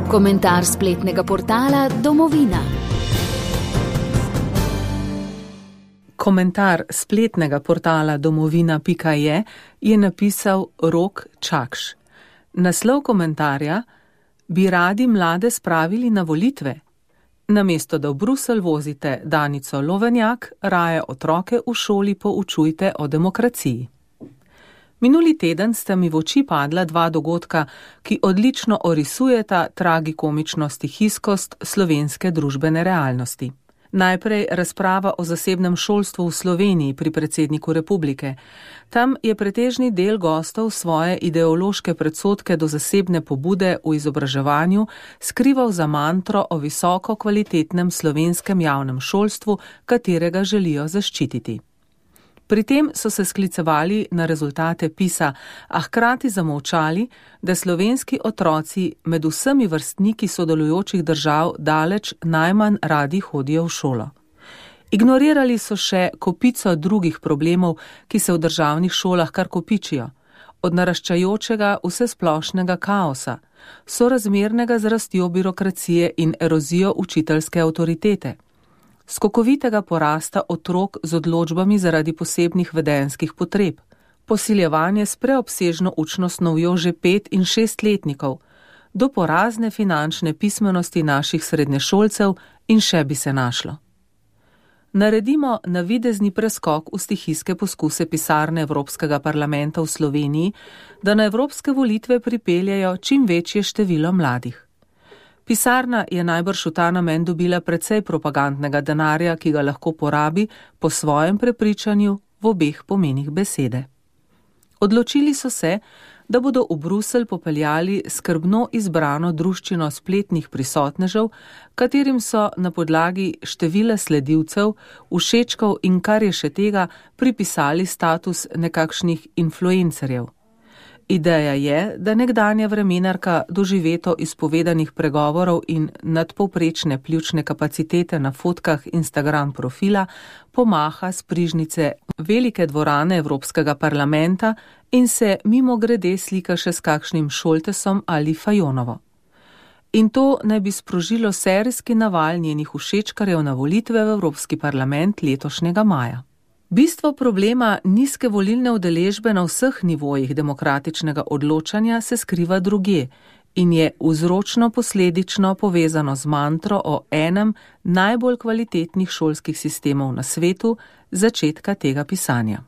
Komentar spletnega portala Domovina. Komentar spletnega portala domovina.je je napisal Rok Čakš. Naslov komentarja: Bi radi mlade spravili na volitve? Namesto da v Bruselj vozite Danico Lovenjak, raje otroke v šoli poučujte o demokraciji. Minuli teden sta mi v oči padla dva dogodka, ki odlično orisujeta tragikomično stihijskost slovenske družbene realnosti. Najprej razprava o zasebnem šolstvu v Sloveniji pri predsedniku republike. Tam je pretežni del gostov svoje ideološke predsodke do zasebne pobude v izobraževanju skrival za mantro o visoko kvalitetnem slovenskem javnem šolstvu, katerega želijo zaščititi. Pri tem so se sklicevali na rezultate PISA, a hkrati zamolčali, da slovenski otroci med vsemi vrstniki sodelujočih držav daleč najmanj radi hodijo v šolo. Ignorirali so še kopico drugih problemov, ki se v državnih šolah kar kopičijo, od naraščajočega vsesplošnega kaosa, sorazmernega z rastjo birokracije in erozijo učiteljske avtoritete, skokovitega porasta otrok z odločbami zaradi posebnih vedenjskih potreb, posiljevanje s preobsežno učno snovjo že 5- in 6-letnikov, do porazne finančne pismenosti naših srednješolcev in še bi se našlo. Naredimo navidezni preskok v stihijske poskuse pisarne Evropskega parlamenta v Sloveniji, da na evropske volitve pripeljejo čim večje število mladih. Pisarna je najbrž v ta namen dobila precej propagandnega denarja, ki ga lahko porabi po svojem prepričanju v obeh pomenih besede. Odločili so se, da bodo v Bruselj popeljali skrbno izbrano druščino spletnih prisotnežev, katerim so na podlagi števila sledilcev, všečkov in kar je še tega pripisali status nekakšnih influencerjev. Ideja je, da nekdanja vremenarka doživeto izpovedanih pregovorov in nadpovprečne pljučne kapacitete na fotkah Instagram profila pomaha s prižnice velike dvorane Evropskega parlamenta in se mimogrede slika še s kakšnim Šoltesom ali Fajonovo. In to naj bi sprožilo serijski naval njenih všečkarjev na volitve v Evropski parlament letošnjega maja. Bistvo problema nizke volilne udeležbe na vseh nivojih demokratičnega odločanja se skriva drugje in je vzročno-posledično povezano z mantro o enem najbolj kvalitetnih šolskih sistemov na svetu začetka tega pisanja.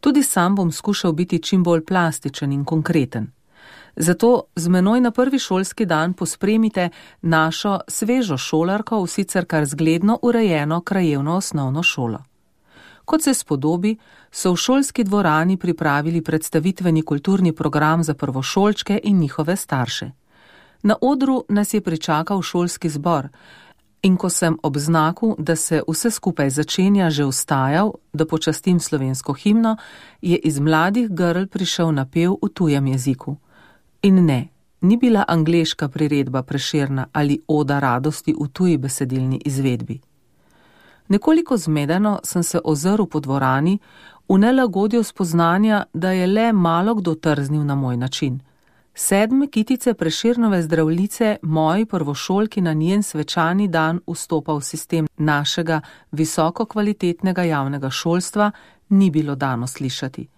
Tudi sam bom skušal biti čim bolj plastičen in konkreten. Zato z menoj na prvi šolski dan pospremite našo svežo šolarko v sicer kar zgledno urejeno krajevno osnovno šolo. Kot se spodobi, so v šolski dvorani pripravili predstavitveni kulturni program za prvošolčke in njihove starše. Na odru nas je pričakal šolski zbor in ko sem ob znaku, da se vse skupaj začenja, že vstajal, da počastim slovensko himno, je iz mladih grl prišel napev v tujem jeziku. In ne, ni bila angleška priredba Prešerna ali oda radosti v tuji besedilni izvedbi. Nekoliko zmedeno sem se ozrl po dvorani, v nelagodju spoznanja, da je le malo kdo trznil na moj način. 7 kitice Prešernove zdravljice moji prvošolki na njen svečani dan vstopa v sistem našega visoko kvalitetnega javnega šolstva ni bilo dano slišati.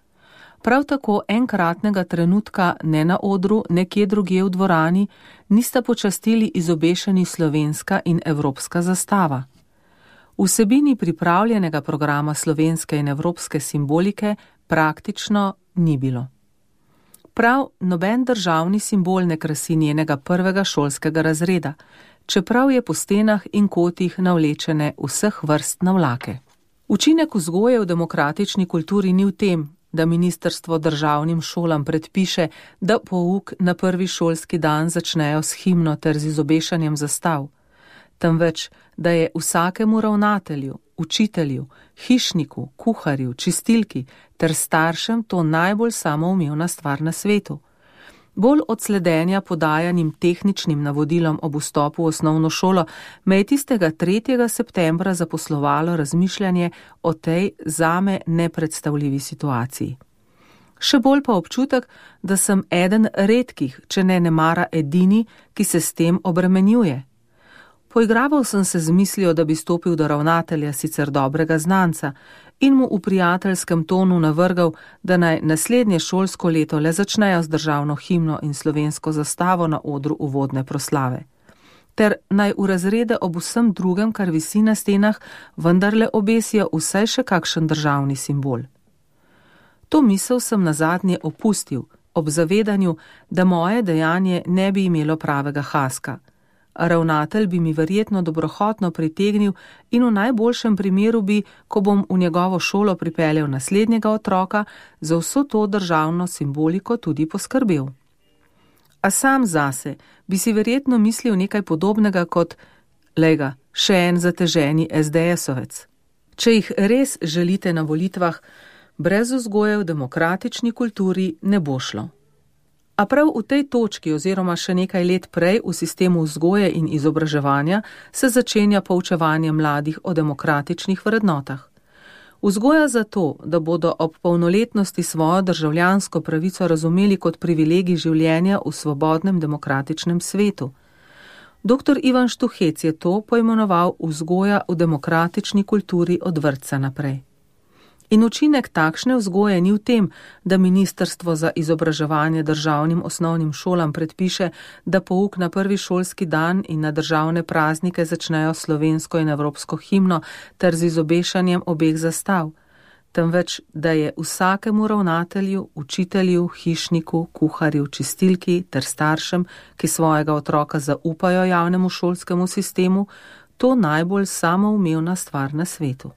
Prav tako enkratnega trenutka ne na odru, nekje drugje v dvorani, nista počastili izobešeni slovenska in evropska zastava. Vsebini pripravljenega programa slovenske in evropske simbolike praktično ni bilo. Prav noben državni simbol ne krasi njenega prvega šolskega razreda, čeprav je po stenah in kotih navlečene vseh vrst navlake. Učinek vzgoje v demokratični kulturi ni v tem, da ministrstvo državnim šolam predpiše, da pouk na prvi šolski dan začnejo s himno ter z izobešanjem zastav, temveč, da je vsakemu ravnatelju, učitelju, hišniku, kuharju, čistilki ter staršem to najbolj samoumevna stvar na svetu. Bolj od sledenja podajanim tehničnim navodilom ob vstopu v osnovno šolo me je tistega 3. septembra zaposlovalo razmišljanje o tej zame nepredstavljivi situaciji. Še bolj pa občutek, da sem eden redkih, če ne nemara edini, ki se s tem obremenjuje. Poigraval sem se z mislijo, da bi stopil do ravnatelja sicer dobrega znanca in mu v prijateljskem tonu navrgal, da naj naslednje šolsko leto le začnejo z državno himno in slovensko zastavo na odru uvodne proslave, ter naj v razrede ob vsem drugem, kar visi na stenah, vendarle obesijo vsaj še kakšen državni simbol. To misel sem nazadnje opustil, ob zavedanju, da moje dejanje ne bi imelo pravega haska. Ravnatelj bi mi verjetno dobrohotno pritegnil in v najboljšem primeru bi, ko bom v njegovo šolo pripeljal naslednjega otroka, za vso to državno simboliko tudi poskrbel. A sam zase bi si verjetno mislil nekaj podobnega kot, lejga, še en zateženi SDS-ovec. Če jih res želite na volitvah, brez vzgoje v demokratični kulturi ne bo šlo. A prav v tej točki oziroma še nekaj let prej v sistemu vzgoje in izobraževanja se začenja poučevanje mladih o demokratičnih vrednotah. Vzgoja zato, da bodo ob polnoletnosti svojo državljansko pravico razumeli kot privilegij življenja v svobodnem demokratičnem svetu. Dr. Ivan Štuhec je to poimenoval vzgoja v demokratični kulturi od vrtca naprej. In učinek takšne vzgoje ni v tem, da Ministrstvo za izobraževanje državnim osnovnim šolam predpiše, da pouk na prvi šolski dan in na državne praznike začnejo slovensko in evropsko himno ter z izobešanjem obeh zastav, temveč da je vsakemu ravnatelju, učitelju, hišniku, kuharju, čistilki ter staršem, ki svojega otroka zaupajo javnemu šolskemu sistemu, to najbolj samoumevna stvar na svetu.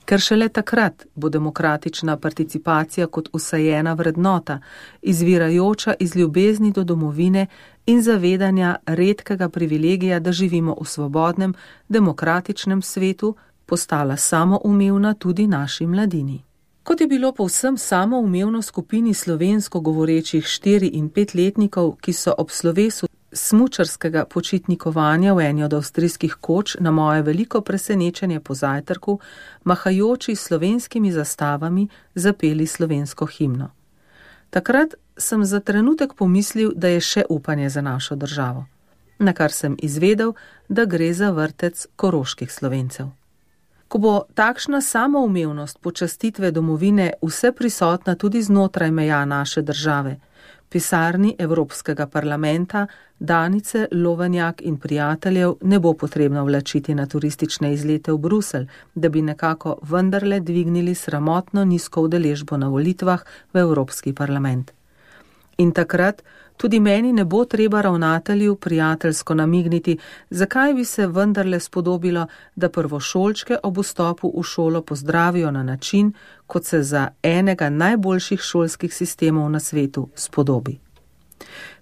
Ker šele takrat bo demokratična participacija kot vsajena vrednota, izvirajoča iz ljubezni do domovine in zavedanja redkega privilegija, da živimo v svobodnem, demokratičnem svetu, postala samoumevna tudi naši mladini. Kot je bilo povsem samoumevno skupini slovensko govorečih 4- in 5-letnikov, ki so ob slovesu smučarskega počitnikovanja v eni od avstrijskih koč na moje veliko presenečenje po zajtrku, mahajoči slovenskimi zastavami, zapeli slovensko himno. Takrat sem za trenutek pomislil, da je še upanje za našo državo, na kar sem izvedel, da gre za vrtec koroških Slovencev. Ko bo takšna samoumevnost počastitve domovine vse prisotna tudi znotraj meja naše države, pisarni Evropskega parlamenta, Danice, Lovenjak in prijateljev ne bo potrebno vlačiti na turistične izlete v Bruselj, da bi nekako vendarle dvignili sramotno nizko udeležbo na volitvah v Evropski parlament. In takrat tudi meni ne bo treba ravnatelju prijateljsko namigniti, zakaj bi se vendarle spodobilo, da prvošolčke ob vstopu v šolo pozdravijo na način, kot se za enega najboljših šolskih sistemov na svetu spodobi.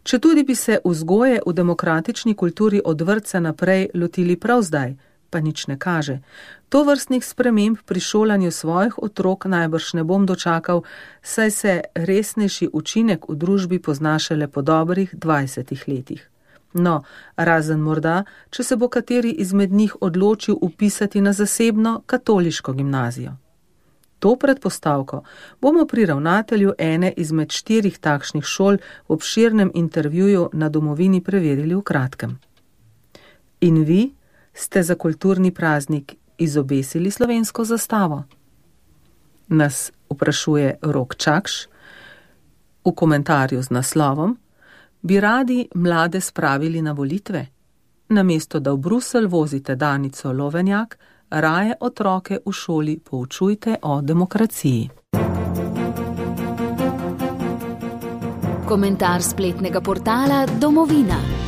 Četudi bi se vzgoje v demokratični kulturi od vrtca naprej lotili prav zdaj, pa nič ne kaže. Tovrstnih sprememb pri šolanju svojih otrok najbrž ne bom dočakal, saj se resnejši učinek v družbi pozna šele po dobrih 20 letih. No, razen morda, če se bo kateri izmed njih odločil upisati na zasebno katoliško gimnazijo. To predpostavko bomo pri ravnatelju ene izmed 4 takšnih šol v obširnem intervjuju na Domovini preverili v kratkem. In vi ste za kulturni praznik izobesili slovensko zastavo? Nas vprašuje Rok Čakš v komentarju z naslovom: Bi radi mlade spravili na volitve? Namesto da v Bruselj vozite Danico Lovenjak, raje otroke v šoli poučujte o demokraciji. Komentar spletnega portala Domovina.